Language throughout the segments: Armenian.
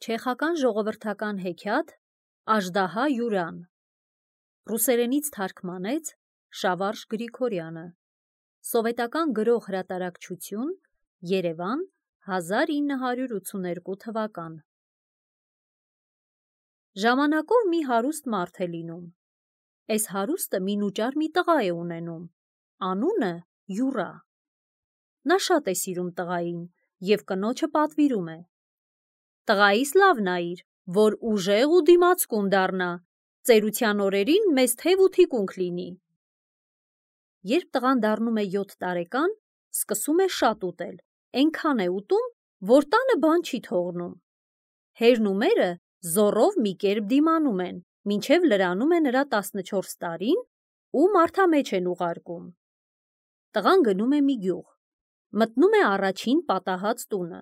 Չեխական ժողովրդական հեքիաթ Աժդահա Յուրան ռուսերենից թարգմանեց Շավարժ Գրիգորյանը Սովետական գրող հրատարակչություն Երևան 1982 թվական Ժամանակով մի հարուստ մարդ է լինում Էս հարուստը մինուճար մի տղա է ունենում Անունը Յուրա Նա շատ է սիրում տղային և կնոջը պատվիրում է Տղայիս լավ նայիր, որ ուժեղ ու դիմացկուն դառնա, ծերության օրերին մեզ թև ու թիկունք լինի։ Երբ տղան դառնում է 7 տարեկան, սկսում է շատ ուտել, այնքան է ուտում, որ տանը բան չի թողնում։ Հերն ու մերը զոռով մի կերպ դիմանում են, մինչև լրանում է նրա 14 տարին ու մարդամեջ են ուղարկում։ Տղան գնում է մի գյուղ, մտնում է առաջին պատահած տունը։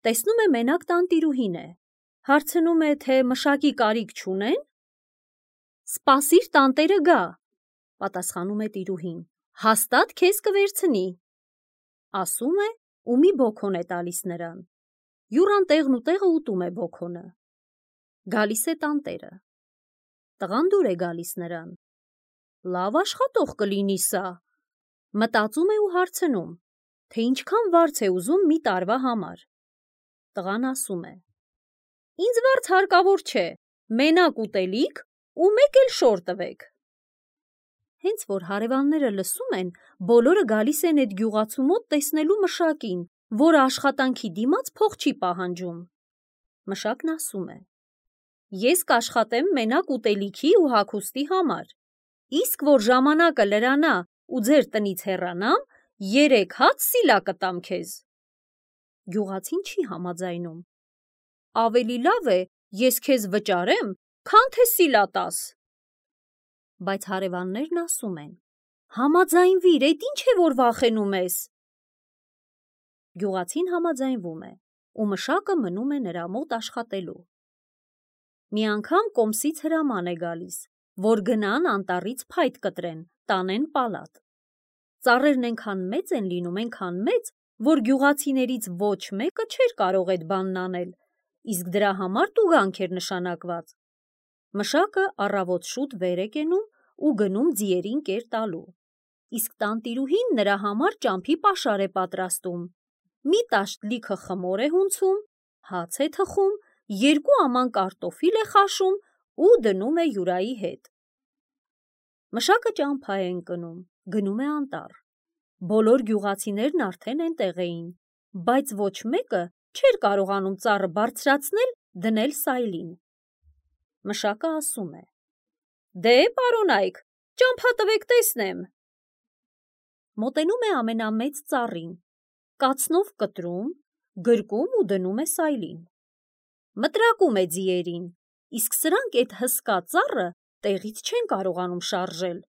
Տեսնում է մենակ տանտիրուհին է, հարցնում է, թե մշակի կարիք չունեն։ Սպասիր տանտերը գա, պատասխանում է տիրուհին, հաստատ քեզ կվերցնի։ Ասում է ու մի բոքոն է տալիս նրան։ Յուրան տեղն ու տեղը ուտում է բոքոնը։ Գալիս է տանտերը։ Տղան դուր է գալիս նրան։ Լավ աշխատող կլինի սա։ Մտածում է ու հարցնում, թե ինչքան վարձ է ուզում մի տարվա համար։ Տղան ասում է. Ինձ վարձ հարկավոր չէ, մենակ ուտելիք ու մեկ էլ շոր տվեք։ Հենց որ հարևանները լսում են, բոլորը գալիս են այդ գյուղացու մոտ տեսնելու մշակին, որ աշխատանքի դիմաց փող չի պահանջում։ Մշակն ասում է. Ես կաշխատեմ մենակ ուտելիքի ու հագուստի համար, իսկ որ ժամանակը լրանա ու ձեր տնից հեռանամ, 3 հաց սիլա կտամ քեզ։ Գյուղացին չի համաձայնում։ Ավելի լավ է, ես քեզ վճարեմ, քան թե սիլա տաս։ Բայց հարևաններն ասում են. Համաձայնվիր, էդ ինչ է որ վախենում ես։ Գյուղացին համաձայնվում է, ու մշակը մնում է նրա մոտ աշխատելու։ Մի անգամ կոմսից հրաման է գալիս, որ գնան անտառից փայտ կտրեն, տանեն պալատ։ Ծառերն այնքան մեծ են լինում, այնքան մեծ, որ գյուղացիներից ոչ մեկը չէր կարող այդ բանն անել, իսկ դրա համար տուգանք էր նշանակված։ Մշակը առավոտ շուտ վեր է կենում ու գնում ձիերին կեր տալու, իսկ տանտիրուհին նրա համար ճամփի պաշար է պատրաստում, մի տաշտ լիքը խմոր է հունցում, հաց է թխում, 2 աման կարտոֆիլ է խաշում ու դնում է Յուրայի հետ։ Մշակը ճամփա է ընկնում, գնում է անտառ։ Բոլոր գյուղացիներն արդեն այնտեղ էին, բայց ոչ մեկը չէր կարողանում ծառը բարձրացնել, դնել սայլին։ Մշակը ասում է. Դե, պարոնայք, ճամփա տվեք տեսնեմ։ Մոտենում է ամենամեծ ծառին, կացնով կտրում, գրկում ու դնում է սայլին։ Մտրակում է ձիերին, իսկ սրանք այդ հսկա ծառը տեղից չեն կարողանում շարժել։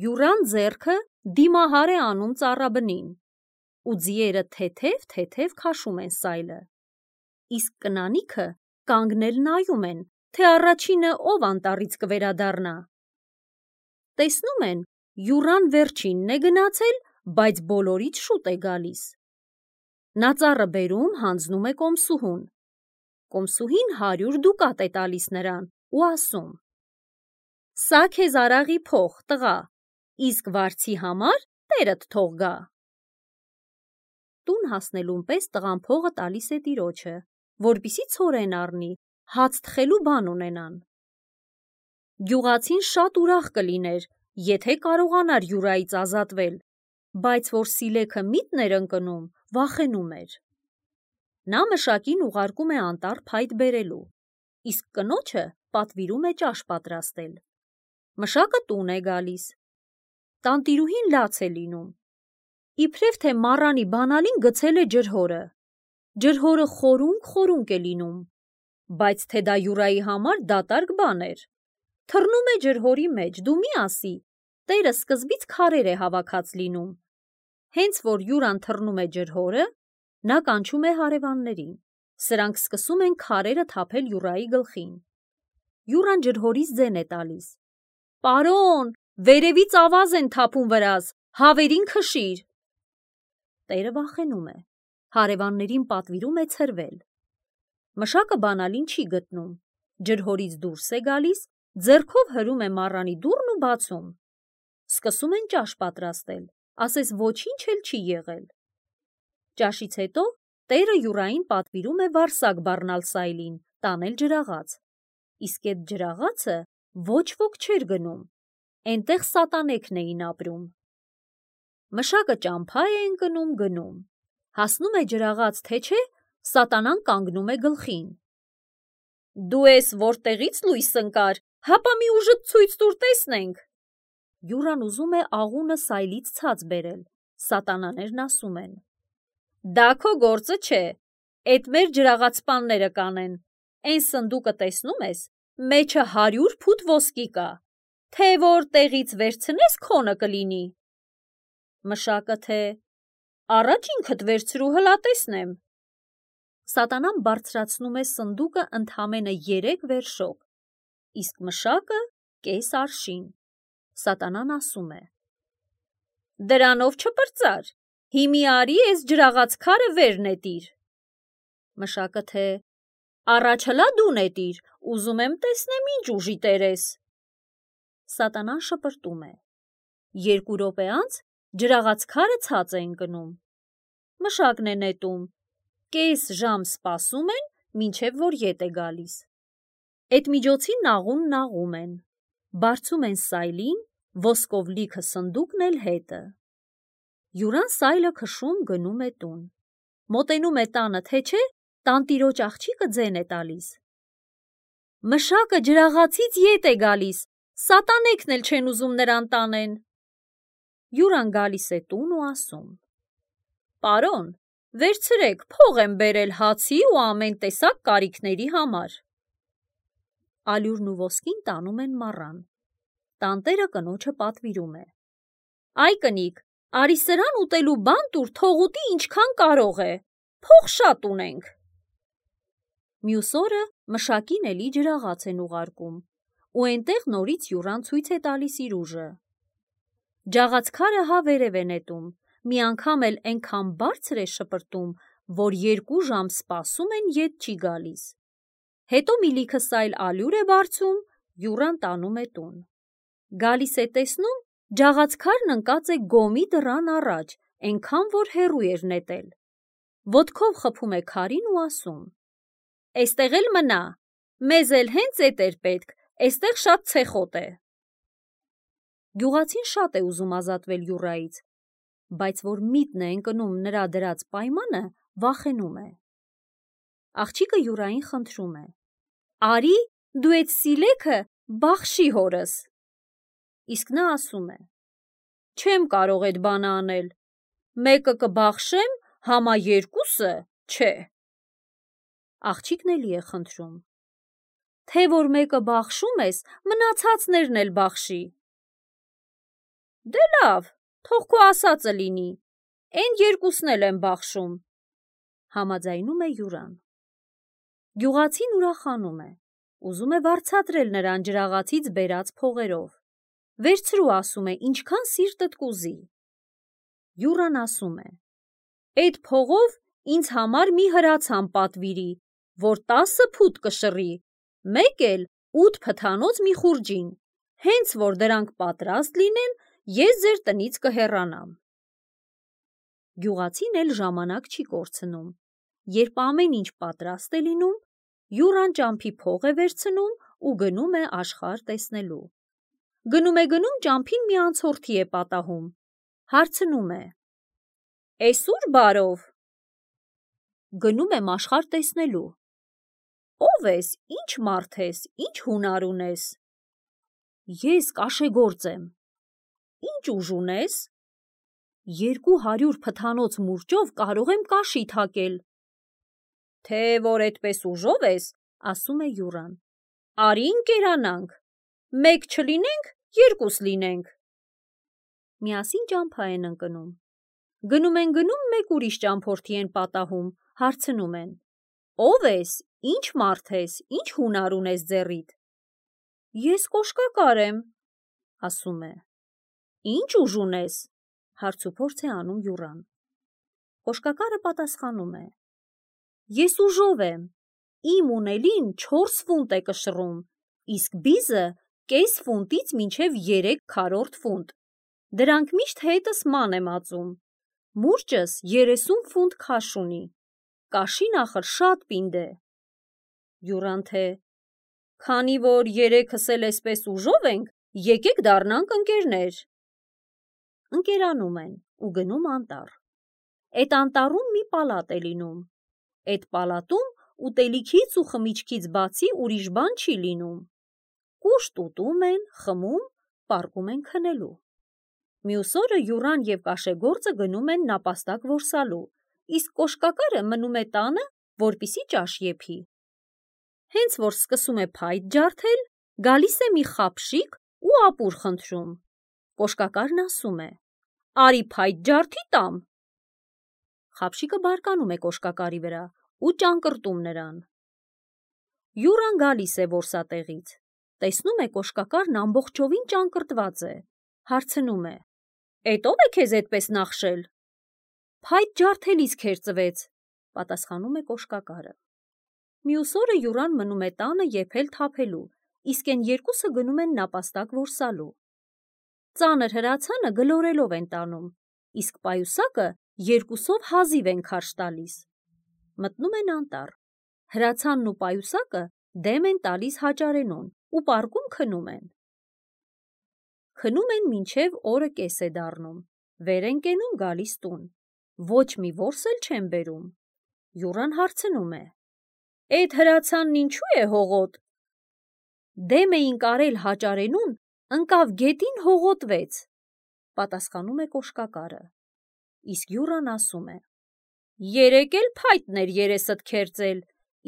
Յուրան ձեռքը դիմահար է անում ծառաբնին, ու ձիերը թեթև քաշում են սայլը, իսկ կնանիքը կանգնել նայում են, թե առաջինը ով անտառից կվերադառնա։ Տեսնում են, Յուրան վերջինն է գնացել, բայց բոլորից շուտ է գալիս։ Նա ծառը բերում հանձնում է կոմսուհուն։ Կոմսուհին 100 դուկատ է տալիս նրան ու ասում. Սա քեզ արաղի փող, տղա, իսկ վարձի համար տերդ թող գա։ Տուն հասնելուն պես տղան փողը տալիս է տիրոջը, որպեսզի ցորեն առնի, հաց թխելու բան ունենան։ Գյուղացին շատ ուրախ կլիներ, եթե կարողանար Յուրայից ազատվել, բայց որ սիլեքը միտն էր ընկնում, վախենում էր։ Նա մշակին ուղարկում է անտառ փայտ բերելու, իսկ կնոջը պատվիրում է ճաշ պատրաստել։ Մշակը տուն է գալիս։ Տանտիրուհին լաց է լինում։ Իբրև թե մառանի բանալին գցել է ջրհորը։ Ջրհորը խորունկ է լինում, բայց թե դա Յուրայի համար դատարկ բան էր։ Թռնում է ջրհորի մեջ, դու մի ասի, տերը սկզբից քարեր է հավաքած լինում։ Հենց որ Յուրան թռնում է ջրհորը, նա կանչում է հարևաններին։ Սրանք սկսում են քարերը թափել Յուրայի գլխին։ Յուրան ջրհորից ձեն է տալիս. Պարոն, վերևից ավազ են թափում վրաս, հավերին քշիր։ Տերը վախենում է, հարևաններին պատվիրում է ցրվել։ Մշակը բանալին չի գտնում, ջրհորից դուրս է գալիս, ձեռքով հրում է մառանի դուռն ու բացում։ Սկսում են ճաշ պատրաստել, ասես ոչինչ էլ չի եղել։ Ճաշից հետո տերը յուրային պատվիրում է վարսակ բառնալ սայլին, տանել ջրաղաց։ Իսկ այդ ջրաղացը ոչ ոք չէր գնում, էնտեղ սատանեքն էին ապրում։ Մշակը ճամփա է ընկնում գնում, հասնում է ջրաղաց, թե չէ, սատանան կանգնում է գլխին։ Դու ես որտեղից լույս ընկար, հապա մի ուժդ ցույց տուր տեսնենք։ Յուրան ուզում է աղունը սայլից ցած բերել, սատանաներն ասում են. Դա քո գործը չէ, էդ մեր ջրաղացպանները կանեն, էն սնդուկը տեսնում ես, մեջը 100 փութ ոսկի կա, թե որ տեղից վերցնես քոնը կլինի։ Մշակը թե առաջ ինքդ վերցրու հլա տեսնեմ։ Սատանան բարձրացնում է սնդուկը ընդամենը 3 վերշոկ, իսկ մշակը կես արշին։ Սատանան ասում է. Դրանով չպրծար, հիմի արի ես ջրաղաց քարը վեր նետիր։ Մշակը թե առաջ հլա դու նետիր, ուզում եմ տեսնեմ ինչ ուժի տեր ես։ Սատանան շպրտում է։ 2 րոպե անց ջրաղաց քարը ցած է ընկնում։ Մշակն է նետում, կես ժամ սպասում են, մինչև որ ետ է գալիս։ Այդ միջոցին նաղուն նաղում են, բարձում են սայլին, ոսկով լիքը սնդուկն էլ հետը։ Յուրան սայլը քշում գնում է տուն։ Մոտենում է տանը, թե չէ, տանտիրոջ աղջիկը ձեն է տալիս։ Մշակը ջրաղացից ետ է գալիս, սատանեքն էլ չեն ուզում նրան տանեն։ Յուրան գալիս է տուն ու ասում. Պարոն, վերցրեք, փող եմ բերել հացի ու ամեն տեսակ կարիքների համար։ Ալյուրն ու ոսկին տանում են մառան։ Տանտերը կնոջը պատվիրում է. Այ կնիկ, արի սրան ուտելու բան տուր, թող ուտի ինչքան կարող է, փող շատ ունենք։ Մյուս օրը մշակին էլի ջրաղաց են ուղարկում, ու էնտեղ նորից յուրան ցույց է տալիս իր ուժը։ Ջաղաց քարը հա վերև է նետում, մի անգամ էլ այնքան բարձր է շպրտում, որ 2 ժամ սպասում են, ետ չի գալիս։ Հետո մի լիքը սայլ ալյուր է բարձում, յուրան տանում է տուն։ Գալիս է տեսնում, ջաղաց քարն ընկած է գոմի դռան առաջ, այնքան որ հեռու էր նետել։ Ոտքով խփում է քարին ու ասում. Էստեղ էլ մնա, մեզ էլ հենց էդ էր պետք, էստեղ շատ ցեխոտ է։ Գյուղացին շատ է ուզում ազատվել յուրայից, բայց որ միտն է ընկնում նրա դրած պայմանը, վախենում է։ Աղջիկը յուրային խնդրում է. Արի, դու այդ սիլեքը բախշի հորս։ Իսկ նա ասում է. Չեմ կարող այդ բանը անել, մեկը կբախշեմ, համա 2-ը չէ։ Աղջիկն էլի է խնդրում. Թե որ մեկը բախշում ես, մնացածներն էլ բախշի։ Դե լավ, թող քո ասածը լինի, էն 2-ն էլ եմ բախշում, համաձայնում է յուրան։ Գյուղացին ուրախանում է, ուզում է վարձատրել նրան ջրաղացից բերած փողերով։ Վերցրու, ասում է, ինչքան սիրտդ կուզի։ Յուրան ասում է. Այդ փողով ինձ համար մի հրացան պատվիրի, որ 10 փութ կշռի, մեկ էլ 8 փթանոց մի խուրջին, հենց որ դրանք պատրաստ լինեն, ես ձեր տնից կհեռանամ։ Գյուղացին էլ ժամանակ չի կորցնում, երբ ամեն ինչ պատրաստ է լինում, յուրան ճամփի փող է վերցնում ու գնում է աշխարհ տեսնելու։ Գնում է գնում, ճամփին մի անցորդի է պատահում, հարցնում է. Էս ուր բարով։ Գնում եմ աշխարհ տեսնելու։ Ո՞վ ես, ինչ մարդ ես, ինչ հունար ունես։ Ես կաշեգործ եմ։ Ինչ ուժ ունես։ 200 փթանոց մուրճով կարող եմ կաշի թակել։ Թե որ այդպես ուժով ես, ասում է յուրան, արի ընկերանանք, 1 չլինենք, 2 լինենք։ Միասին ճամփա են ընկնում։ Գնում են գնում, մեկ ուրիշ ճամփորդի են պատահում, հարցնում են. Ո՞վ ես, ինչ մարդ ես, ինչ հունար ունես ձեռիդ։ Ես կոշկակար եմ, ասում է։ Ինչ ուժ ունես, հարցուփորձ է անում յուրան։ Կոշկակարը պատասխանում է. Ես ուժով եմ, իմ ունելին 4 ֆունտ է կշռում, իսկ բիզը կես ֆունտից մինչև 3/4 ֆունտ։ Դրանք միշտ հետս ման եմ ածում։ Մուրճս 30 ֆունտ քաշ ունի։ Կաշին ախր շատ պինդ է։ Յուրան թե. Քանի որ երեքս էլ էսպես ուժով ենք, եկեք դառնանք ընկերներ։ Ընկերանում են ու գնում անտառ։ Էդ անտառում մի պալատ է լինում։ Էդ պալատում ուտելիքից ու խմիչքից բացի ուրիշ բան չի լինում։ Կուշտ ուտում են, խմում, պառկում են քնելու։ Մյուս օրը Յուրան և կաշեգործը գնում են նապաստակ որսալու, իսկ կոշկակարը մնում է տանը, որպեսզի ճաշ եփի։ Հենց որ սկսում է փայտ ջարդել, գալիս է մի խապշիկ ու ապուր խնդրում։ Կոշկակարն ասում է. «Արի փայտ ջարդի տամ»։ Խապշիկը բարկանում է կոշկակարի վրա ու ճանկռտում նրան։ Յուրան գալիս է որսատեղից, տեսնում է կոշկակարն ամբողջովին ճանկռտված է, հարցնում է. «Էդ ո՞վ է քեզ էդպես նախշել»։ «Փայտ ջարդելիս քերծվեց», պատասխանում է կոշկակարը։ Մյուս օրը Յուրան մնում է տանը եփել թափելու, իսկ են երկուսը գնում են նապաստակ որսալու։ Ծանր հրացանը գլորելով են տանում, իսկ պայուսակը երկուսով հազիվ են քարշ տալիս։ Մտնում են անտառ։ Հրացանն ու պայուսակը դեմ են տալիս հաճարենուն ու պառկում քնում են։ Քնում են մինչև օրը կես է դառնում, վեր են կենում գալիս տուն։ Ոչ մի որս էլ չեն բերում։ Յուրան հարցնում է. «Էդ հրացանն ինչու է հողոտ»։ «Դեմ էինք արել հաճարենուն, ընկավ գետին հողոտվեց», պատասխանում է կոշկակարը։ Իսկ Յուրան ասում է. «Երեկ էլ փայտն էր երեսդ քերծել,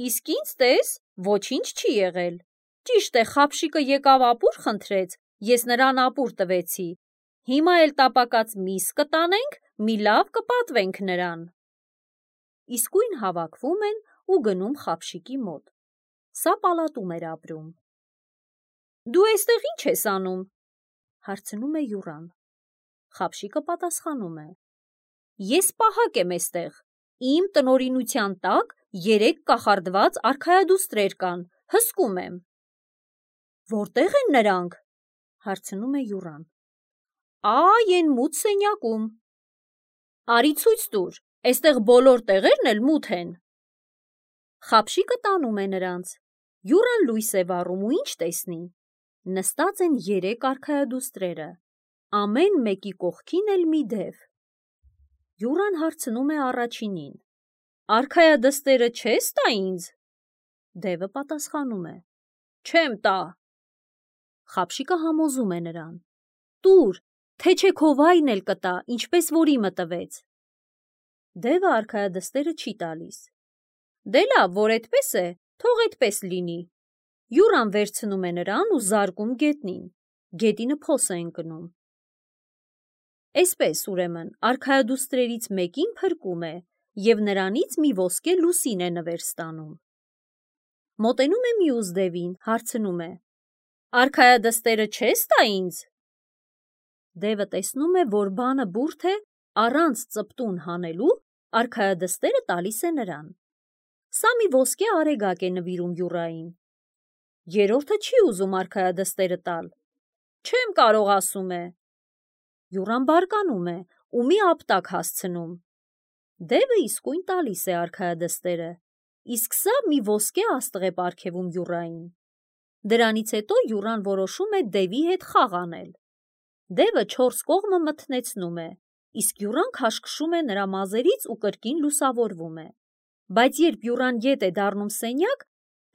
իսկ ինձ տես, ոչինչ չի եղել։ Ճիշտ է, խապշիկը եկավ ապուր խնդրեց, ես նրան ապուր տվեցի։ Հիմա էլ տապակած միս կտանենք, մի լավ կպատվենք նրան»։ Իսկույն հավաքվում են ու գնում խապշիկի մոտ։ Սա պալատում էր ապրում։ «Դու էստեղ ի՞նչ ես անում», հարցնում է Յուրան։ Խապշիկը պատասխանում է. «Ես պահակ եմ էստեղ, իմ տնօրինության տակ 3 կախարդված արքայադուստրեր կան, հսկում եմ»։ «Որտե՞ղ են նրանք», հարցնում է Յուրան։ «Այ էն մութ սենյակում»։ «Արի ցույց տուր, էստեղ բոլոր տեղերն էլ մութ են»։ Խապշիկը տանում է նրանց։ Յուրան լույս է վառում ու ինչ տեսնի։ Նստած են 3 արքայադուստրերը, ամեն մեկի կողքին էլ մի դև։ Յուրան հարցնում է առաջինին. «Արքայադստերը չես տա ինձ»։ Դևը պատասխանում է. «Չեմ տա»։ Խապշիկը համոզում է նրան. «Տուր, թե չէ քո վայրն էլ կտա, ինչպես որ իմը տվեց»։ Դևը արքայադստերը չի տալիս։ «Դե լավ, որ էդպես է, թող էդպես լինի»։ Յուրան վերցնում է նրան ու զարկում գետնին։ Գետինը փոս է ընկնում։ Էսպես, ուրեմն, արքայադուստրերից մեկին փրկում է և նրանից մի ոսկե լուսին է նվեր ստանում։ Մոտենում է մյուս դևին, հարցնում է. «Արքայադստերը չես տա ինձ»։ Դևը տեսնում է, որ բանը բուրդ է, առանց ծպտուն հանելու, արքայադստերը տալիս է նրան։ Սա մի ոսկե արեգակ է նվիրում Յուրային։ Երրորդը չի ուզում արքայադստերը տալ։ «Չեմ կարող», ասում է։ Յուրան բարկանում է ու մի ապտակ հասցնում։ Դևը իսկույն տալիս է արքայադստերը, իսկ սա մի ոսկե աստղ է պարգևում Յուրային։ Դրանից հետո Յուրան որոշում է դևի հետ խաղ անել։ Դևը 4 կողմը մթնեցնում է, իսկ Յուրան քաշքշում է նրա մազերից ու կրկին լուսավորվում է։ Բայց երբ Յուրան ետ է դառնում սենյակ,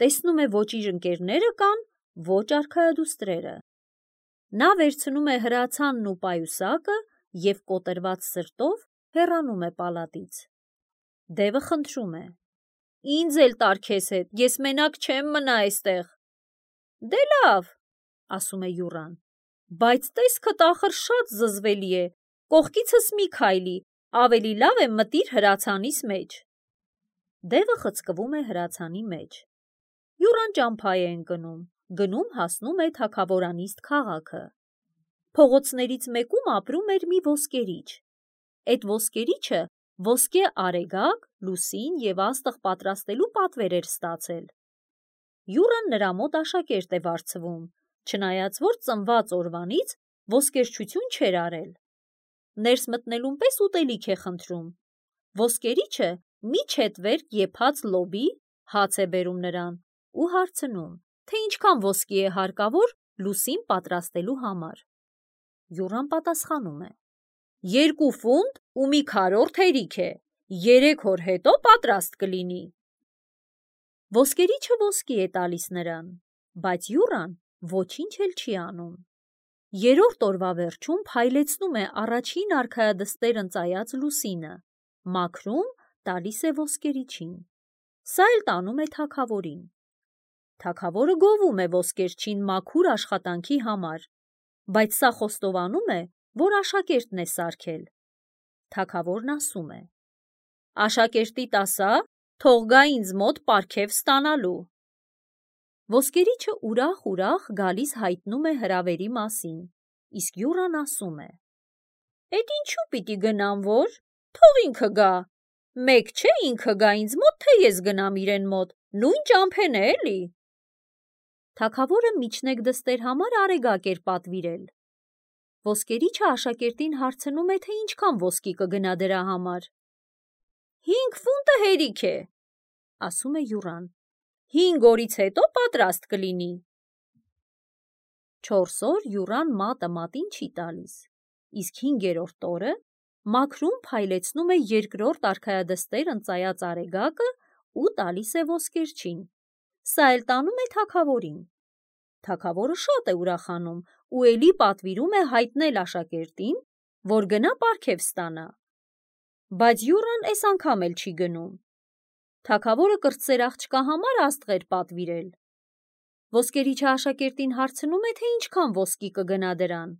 տեսնում է ոչ իր ընկերները կան, ոչ արքայադուստրերը։ Նա վերցնում է հրացանն ու պայուսակը և կոտրված սրտով հեռանում է պալատից։ Դևը խնդրում է. «Ինձ էլ տար քեզ հետ, ես մենակ չեմ մնա էստեղ»։ «Դե լավ», ասում է Յուրան, «բայց տեսքդ ախր շատ զզվելի է, կողքիցս մի քայլի, ավելի լավ է մտիր հրացանիս մեջ»։ Դևը խցկվում է հրացանի մեջ։ Յուրան ճամփա է ընկնում, գնում հասնում է թագավորանիստ քաղաքը։ Փողոցներից մեկում ապրում էր մի ոսկերիչ։ Էդ ոսկերիչը ոսկե արեգակ, լուսին և աստղ պատրաստելու պատվեր էր ստացել։ Յուրան նրա մոտ աշակերտ է վարձվում, չնայած որ ծնված օրվանից ոսկերչություն չէր արել։ Ներս մտնելուն պես ուտելիք է խնդրում։ Ոսկերիչը մի չետվերք եփած լոբի հաց է բերում նրան ու հարցնում, թե ինչքան ոսկի է հարկավոր լուսին պատրաստելու համար։ Յուրան պատասխանում է. 2 ֆունտ ու մի քառորդ հերիք է, 3 օր հետո պատրաստ կլինի։ Ոսկերիչը ոսկի է տալիս նրան, բայց Յուրան ոչինչ էլ չի անում։ 3-րդ օրվա վերջում փայլեցնում է առաջին արքայադստեր ընծայած լուսինը, մաքրում տալիս է ոսկերիչին։ Սա էլ տանում է թագավորին։ Թագավորը գովում է ոսկերչին մաքուր աշխատանքի համար, բայց սա խոստովանում է, որ աշակերտն է սարքել։ Թագավորն ասում է. «Աշակերտիդ ասա, թող գա ինձ մոտ պարգև ստանալու»։ Ոսկերիչը ուրախ գալիս հայտնում է հրավերի մասին, իսկ Յուրան ասում է. «Էդ ինչու պիտի գնամ որ, թող ինքը գա, մեկ չէ ինքը գա ինձ մոտ, թե ես գնամ իրեն մոտ, նույն ճամփեն է էլի»։ Թագավորը միջնեկ դստեր համար արեգակ էր պատվիրել։ Ոսկերիչը աշակերտին հարցնում է, թե ինչքան ոսկի կգնա դրա համար։ 5 ֆունտը հերիք է, ասում է Յուրան, 5 օրից հետո պատրաստ կլինի։ 4 օր Յուրան մատը մատին չի տալիս, իսկ 5-րդ օրը մաքրում փայլեցնում է 2-րդ արքայադստեր ընծայած արեգակը ու տալիս է ոսկերչին։ Սա էլ տանում է թագավորին։ Թագավորը շատ է ուրախանում ու էլի պատվիրում է հայտնել աշակերտին, որ գնա պարգև ստանա։ Բայց Յուրան այս անգամ էլ չի գնում։ Թագավորը կրտսեր աղջկա համար աստղեր պատվիրել։ Ոսկերիչը աշակերտին հարցնում է, թե ինչքան ոսկի կգնա դրան։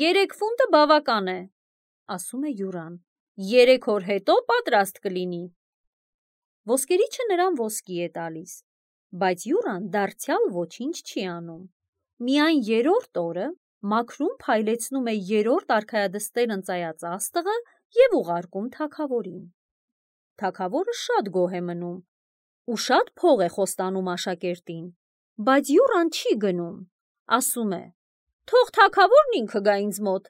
3 ֆունտը բավական է, ասում է Յուրան, 3 օր հետո պատրաստ կլինի։ Ոսկերիչը նրան ոսկի է տալիս, բայց Յուրան դարձյալ ոչինչ չի անում։ Միայն 3-րդ օրը մաքրում փայլեցնում է 3-րդ արքայադստեր ընծայած աստղը և ուղարկում թագավորին։ Թագավորը շատ գոհ է մնում ու շատ փող է խոստանում աշակերտին, բայց Յուրան չի գնում, ասում է. «Թող թագավորն ինքը գա ինձ մոտ»։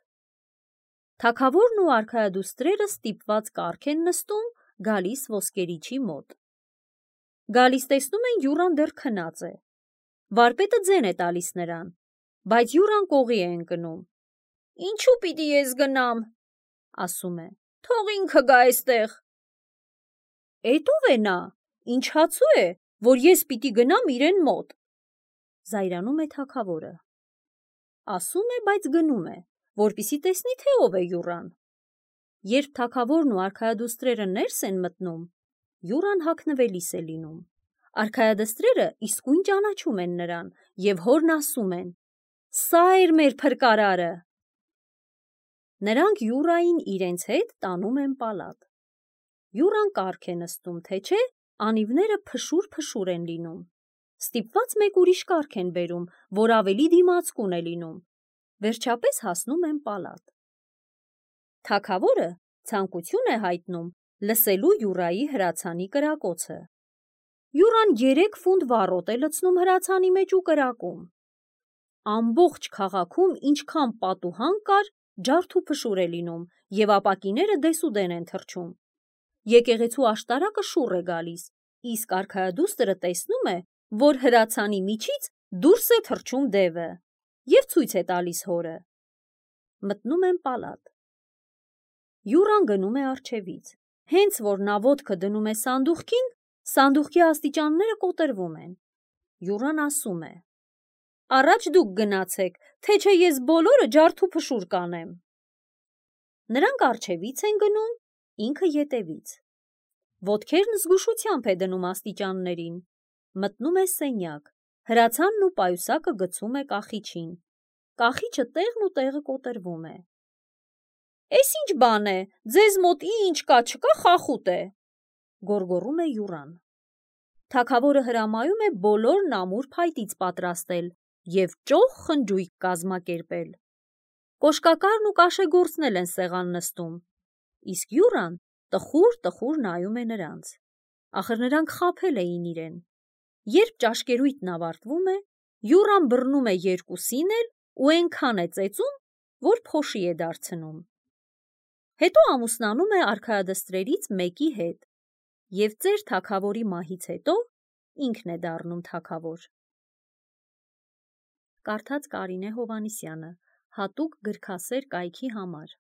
Թագավորն ու արքայադուստրերը ստիպված կառք են նստում գալիս ոսկերիչի մոտ։ Գալիս տեսնում են Յուրան դեռ քնած է։ Վարպետը ձեն է տալիս նրան, բայց Յուրան կողի է ընկնում։ «Ինչու պիտի ես գնամ», ասում է, «թող ինքը գա այստեղ»։ «Էդ ո՞վ է նա, ինչ հացու է, որ ես պիտի գնամ իրեն մոտ», զայրանում է թագավորը։ Ասում է, բայց գնում է, որպեսզի տեսնի, թե ով է Յուրան։ Երբ թագավորն ու արքայադուստրերը ներս են մտնում, Յուրան հագնվելիս է լինում։ Արքայադստրերը իսկույն ճանաչում են նրան և հորն ասում են. «Սա էր մեր փրկարարը»։ Նրանք Յուրային իրենց հետ տանում են պալատ։ Յուրան կառք է նստում, թե չէ, անիվները փշուր են լինում։ Ստիպված մեկ ուրիշ կառք են բերում, որ ավելի դիմացկուն է լինում։ Վերջապես հասնում են պալատ։ Թագավորը ցանկություն է հայտնում լսելու Յուրայի հրացանի կրակոցը։ Յուրան 3 ֆունտ վառոտ է լցնում հրացանի մեջ ու կրակում։ Ամբողջ քաղաքում ինչքան պատուհան կար, ջարդ ու փշուր է լինում և ապակիները դեսուդեն են թռչում։ Եկեղեցու աշտարակը շուռ է գալիս, իսկ արքայադուստրը տեսնում է, որ հրացանի միջից դուրս է թռչում դևը և ցույց է տալիս հորը։ Մտնում են պալատ։ Յուրան գնում է առջևից։ Հենց որ նա ոտքը դնում է սանդուղքին, սանդուղքի աստիճանները կոտրվում են։ Յուրան ասում է. «Առաջ դուք գնացեք, թե չէ ես բոլորը ջարդ ու փշուր կանեմ»։ Նրանք առջևից են գնում, ինքը ետևից։ Ոտքերն զգուշությամբ է դնում աստիճաններին։ Մտնում է սենյակ, հրացանն ու պայուսակը գցում է կախիչին։ Կախիչը տեղն ու տեղը կոտրվում է։ «Էս ինչ բան է, ձեզ մոտ ինչ կա չկա խախուտ է», գոռգոռում է Յուրան։ Թագավորը հրամայում է բոլորն ամուր փայտից պատրաստել և ճոխ խնջույք կազմակերպել։ Կոշկակարն ու կաշեգործն էլ են սեղան նստում, իսկ Յուրան տխուր նայում է նրանց։ Ախր նրանք խաբել էին իրեն։ Երբ ճաշկերույթն ավարտվում է, Յուրան բռնում է երկուսին էլ ու այնքան է ծեծում, որ փոշի է դարձնում։ Հետո ամուսնանում է արքայադստրերից մեկի հետ և ծեր թագավորի մահից հետո ինքն է դառնում թագավոր։ Կարդաց Կարինե Հովհաննիսյանը, հատուկ գրքասեր կայքի համար։